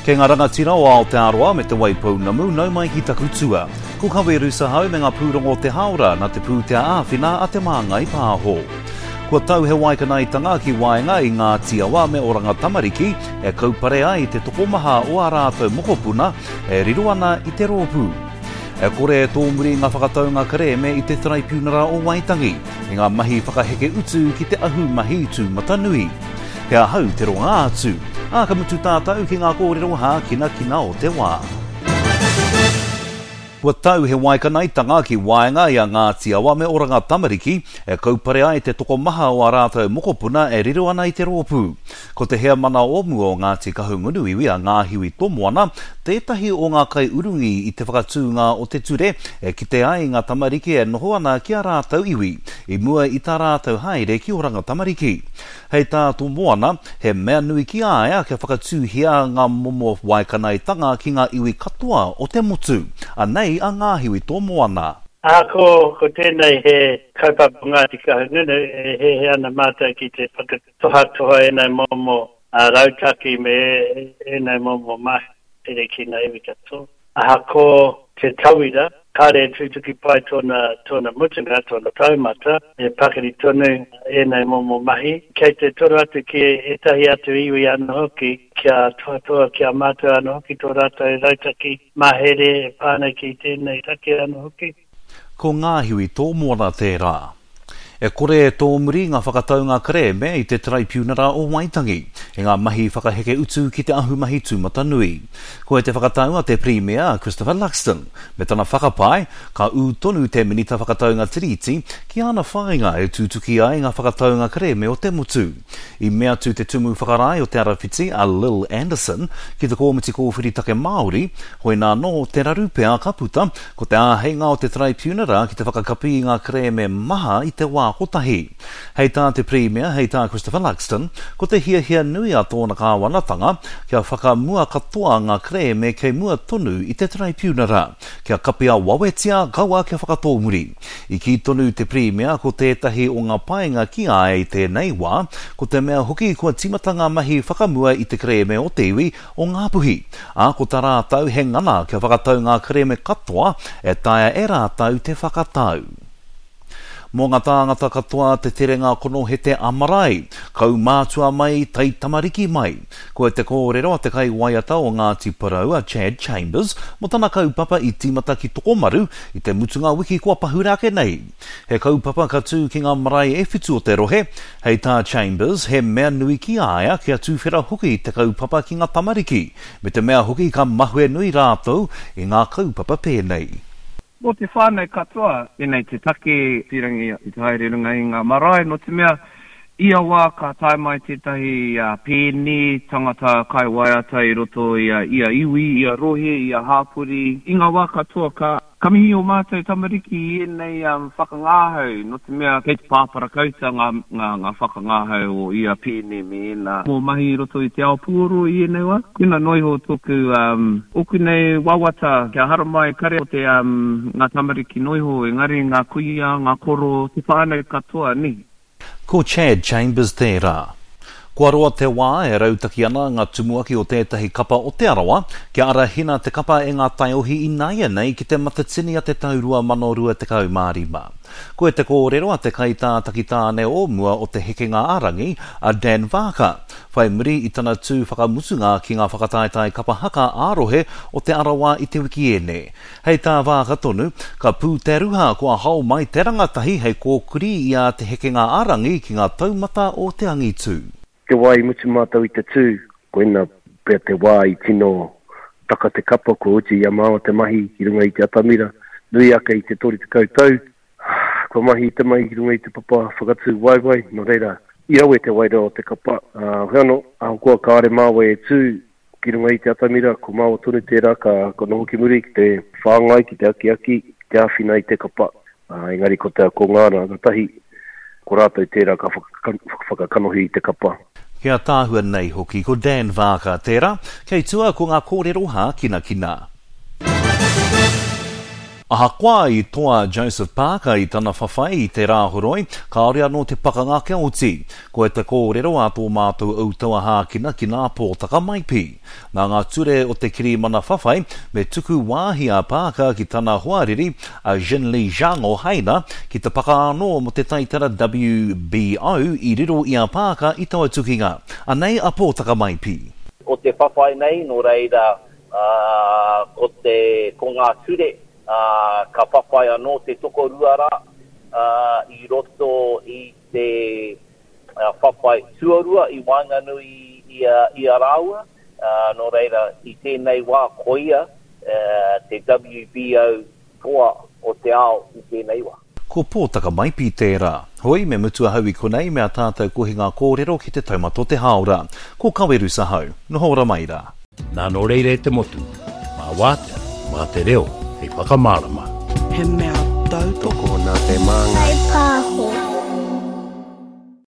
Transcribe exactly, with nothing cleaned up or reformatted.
Kei ngā rangatira o Aotearoa me Te Waipounamu, nau mai ki taku tua. Ko Kawe Rusahau me ngā pūrongo o te hāora nā te pūtea āwhina a Te Māngai Pāho. Kua tau he waikanaetanga ki waenga i Ngāti Awa me Oranga Tamariki e kaupare ai te tokomaha o ā rātou mokopuna e riro ana i te rōpū. E kore e tōmuri ngā whakataunga kerēme i te Taraipiunara o Waitangi i ngā mahi whakaheke utu ki te ahumahi tūmatanui. He ahau te ronga atu, ā, ka mutu tātou ki ngā kōrero hākinakina o te wā. Kua tau he waikanaetanga ki waenga i a Ngāti Awa me Oranga Tamariki e kaupare ai te tokomaha o ā rātou mokopuna e riro ana i te rōpū. Ko te heamana o mua o Ngāti Kahungunu iwi a Ngāhiwi Tomoana tētahi o ngā kaiurungi i te whakatūnga o te ture e kite ai ngā tamariki e noho ana ki a rātou iwi i mua i tā rātou haere ki Oranga Tamariki. Hei tā Tomoana, he mea nui ki a ia kia whakatūhia ngā momo waikanaetanga ki ngā iwi katoa o te motu. Anei a Ngāhiwi Tomoana. Ahakoa ko tēnei he kaupapa Ngāti Kahungunu, e hehe ana mātou ki te whakatohatoha ēnei momo rautaki me ēnei momo mahere ki ngā iwi katoa. Ahakoa te tauira, kāre e tutuki pai tōna, tōna mutunga, tōna taumata, e pakari tonu ēnei momo mahi. Kei te toro atu ki ētahi atu iwi anō hoki, kia tohatoha ki a mātou anō hoki tō rātou rautaki mahere e pā ana ki tēnei take anō hoki. Ko Ngāhiwi Tōmoana tērā. E kore e tōmuri ngā whakataunga kerēme i te Taraipiunara o Waitangi i ngā mahi whakaheke utu ki te ahumahi tūmatanui. Koe te whakatau a te Pirimia a Christopher Luxon, me tana whakapae, ka ū tonu te Minita Whakataunga Tiriti ki āna whāinga e tutuki ai ngā whakataunga kerēme o te motu. I mea atu te Tumu Whakarae o Te Arawhiti a Lil Anderson ki te Kōmiti Kōwhiri Take Māori, hoina anō te raru pea ka puta, ko te āheinga o te Taraipiunara ki te whakakapi i ngā kerēme maha i te wā kotahi. Hei tā te Pirimia, hei tā Christopher Luxon, ko te hiahia nui a tōna kāwanatanga kia whakamua katoa ngā kerēme kei mua tonu i te Taraipiunara, kia kapia wawetia kaua kia whakatōmuri. I kī tonu te Pirimia ko tētahi o ngā painga ki a ia i tēnei wā, ko te mea hoki kua tīmata ngā mahi whakamua i te kerēme o te iwi o Ngāpuhi, ā, ko tā rātou he ngana kia whakatau ngā kerēme katoa e taea e rātou te whakatau. Mō ngā tāngata katoa te terenga konohete a-marae, kaumātua mai, taitamariki mai. Koe te kōrero a te kaiwaiata o Ngāti Porou a Chad Chambers mō tana kaupapa i tīmata ki Tokomaru i te mutunga wiki kua pahure ake nei. He kaupapa ka tū ki ngā marae e whitu o te rohe. Hei tā Chambers, he mea nui ki a ia kia tuwhera hoki te kaupapa ki ngā tamariki, me te mea hoki ka mahue nui rātou i ngā kaupapa pēnei. Mō te whānau katoa, tēnei te take pīrangi i te haere runga i ngā marae, nō te mea, ia wā ka tae mai tētahi pēne, tangata kaiwaiata i roto i a ia iwi, ia rohe, ia hāpori, i ngā wā katoa ka. Ka mihi ō mātou tamariki i ēnei whakangahau, nō te mea kei te pāparakauta ngā, ngā, ngā whakangahau o ia pēne me ēnā momo mahi i roto i te ao puoro i ēnei wā. Koina noa iho tōku, um, ōku nei wawata kia haramai kare o te, um, ngā tamariki noa iho, engari ngā kuia, ngā koro, te whānau katoa, nē. Ko Chad Chambers tērā. Kua roa te wā e rautaki ana ngā tumuaki o tētahi kapa o Te Arawa kia arahina te kapa e ngā taiohi ināianei ki te Matatini a te tau rua mano rua tekau mā rima. Koe te kōrero a te kaitātaki tāne o mua o Te Hekenga a Rangi, a Dan Vaaka, whai muri i tana tū whakamutunga ki ngā whakataetae kapa haka ā-rohe o Te Arawa i te wikiene. Hei tā Vaaka tonu, ka pū te ruha kua hao mai te rangatahi hei kōkiri i a Te Hekenga a Rangi ki ngā taumata o te angitu. Te wā i mutu mātou i te tū, koina pea te wā i tino taka te kapa, kua oti i a māua te mahi ki runga i te atamira, nui ake i te toru tekau tau, kua mahi i te mahi ki runga i te papa whakatū waewae, nō reira, i rawe te wairua o te kapa, ā, heoi anō, ahakoa kāore māua e tū, Ki runga i te atamira, ko māua tonu tērā ka noho ki muri ki te whāngai, ki te akiaki, ki te āwhina i te kapa. Engari ko te ko ngā rangatahi, ko rātou tērā ka whakakanohi i te kapa. Ki ātaahua nei hoki ko Dan Vaaka tērā, kei tua ko ngā kōrero hākinakina. Ahakoa i toa Joseph Parker i tana whawhai i te Rāhoroi, kāore anō te pakanga kia oti. Ko te kōrero a tō mātou utaua hākina ki nā Pōtaka Maipi. Nā ngā ture o te kirimana whawhai, me tuku wāhi a Parker ki tana hoariri a Zhenli Zhang o Haina ki te paka anō mo te taitara W B O i riro i a Parker i taua tukinga. Anei a Pōtaka Maipi. O te whawhai nei, nō reira, uh, ko, te, ko ngā ture, Uh, ka whawhai anō te tokorua rā uh, i roto i te uh, whawhai tuarua i waenganui i, i, i a rāua. Uh, nō reira, i tēnei wā koia uh, te W B O toa o te ao i tēnei wā. Ko Pōtaka Maipi tērā. Hoi, me mutu ahau i konei mea tātou kohi ngā kōrero ki te taumato te hāora. Ko Kawerusa hau, noho ora mai rā. Nā nō reira e te motu, mā wātea, mā te reo, hei whakamārama. He mea tautoko nā te māngai. Pāho.